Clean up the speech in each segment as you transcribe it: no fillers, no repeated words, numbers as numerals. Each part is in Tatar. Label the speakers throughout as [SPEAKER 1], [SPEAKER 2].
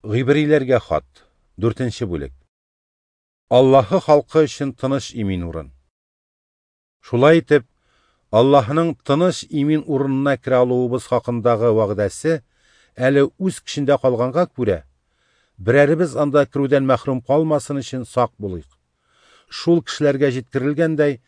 [SPEAKER 1] Гыйбриләргә хат, 4 бүлек. Аллаһы халкы өчен тыныч имин урын. Шулай итеп, Аллаһының тыныч имин урынына керә алуыбыз хакындагы вәгъдәсе әле үз көчендә калганга күрә, берәребез анда керүдән мәхрүм калмасын өчен сак булыйк. Шул кешеләргә җиткерелгәндәй,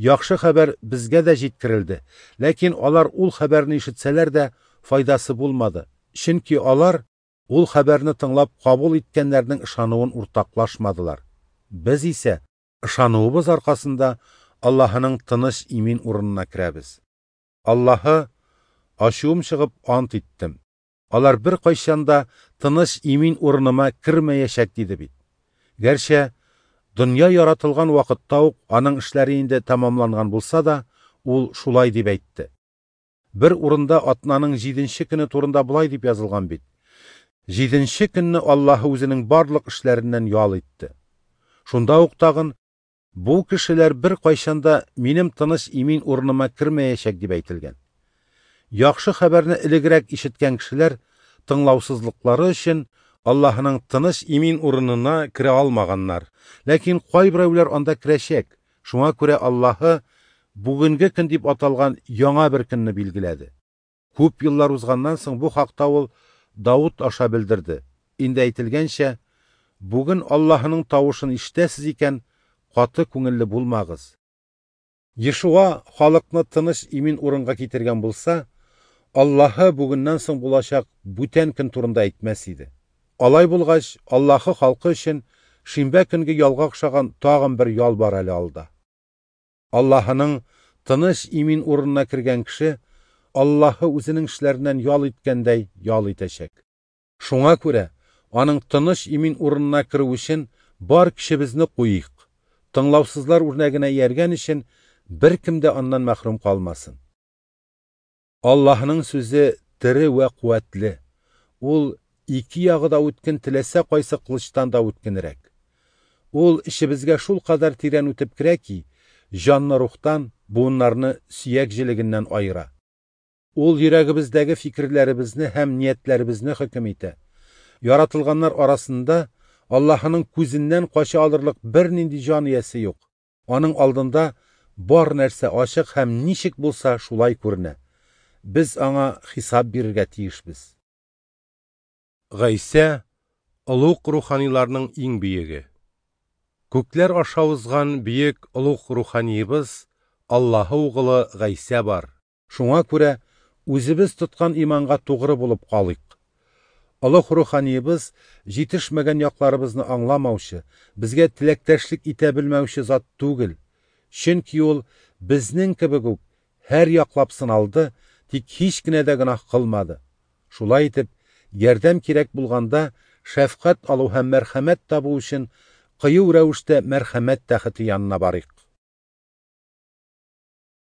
[SPEAKER 1] яхшы хәбәр безгә дә җиткерелде, ләкин алар ул хәбәрне ишетсәләр дә файдасы булмады, чөнки алар ул хәбәрне тыңлап кабул иткәннәрнең ышануын уртаклашмадылар. Без исә ышануыбыз аркасында Аллаһының тыныч имин урынына керәбез. Аллаһы ачуым чыгып ант иттем. Алар бер кайчан да тыныч имин урыныма кермәячәк диде бит. Гәрчә дөнья яратылган вакытта ук аның эшләре инде тәмамланган булса да, ул шулай дип әйтте. Бер урында атнаның 7-нче көне турында болай дип язылган бит. 7-нче көнне Аллаһы үзенең барлык эшләреннән ял итте. Шунда ук тагын бу кешеләр бер кайчан да минем тыныч имин урыныма кермәячәк дип әйтелгән. Яхшы хәбәрне элегрәк ишеткән кешеләр тыңлаусызлыклары өчен Аллаһының тыныч имин урынына керә алмаганнар. Ләкин кайберәүләр анда керәчәк. Шуңа күрә Аллаһы бүгенге көн дип аталган яңа бер көнне билгеләде. Күп еллар узганнан соң бу хакта ул Давыт аша белдерде. Инде әйтелгәнчә, бүген Аллаһының тавышын ишетәсез икән, каты күңелле булмагыз. Ешуа халыкны тыныч имин урынга китергән булса, Аллаһы бүгеннән соң булачак бүтән көн турында әйтмәс иде. Алай булгач, Аллаһы халкы өчен шимбә көнге ялга охшаган тагын бер ял бар әле алда. Аллаһының тыныч имин урынына кергән кеше Аллаһы үзенең эшләреннән ял иткәндәй ял итәчәк. Шуңа күрә аның тыныч имин урынына керү өчен бар көчебезне куйыйк. Тыңлаусызлар үрнәгенә ияргән өчен беркем дә аннан мәхрүм калмасын. Аллаһының сүзе тере вә куәтле. Ул ике ягы да үткен теләсә кайсы кылычтан да үткенрәк. Ул эчебезгә шул кадәр тирән үтеп керә ки, җанны рухтан, буыннарны сөяк җелегеннән аера. Ул йөрәгебездәге фикерләребезне һәм ниятләребезне хөкем итә. Яратылганнар арасында Аллаһының күзеннән кача алырлык бернинди җан иясе юк. Аның алдында бар нәрсә ачык һәм ничек булса шулай күренә. Без аңа хисап бирергә тиешбез. Гайсә олуг руханиларның иң бөеге. Күкләр аша узган бөек олуг руханиебыз Аллаһы угылы Гайсә бар. Шуңа күрә үзебез тоткан иманга тугры булып калыйк. Олуг руханиебыз җитешмәгән якларыбызны аңламаучы, безгә теләктәшлек итә белмәүче зат түгел. Чөнки ул безнең кебек үк һәр яклап сыналды, тик һич кенә дә гөнаһ кылмады. Шулай итеп, ярдәм кирәк булганда шәфкать алу һәм мәрхәмәт табу өчен кыю рәвештә мәрхәмәт тәхете янына барыйк.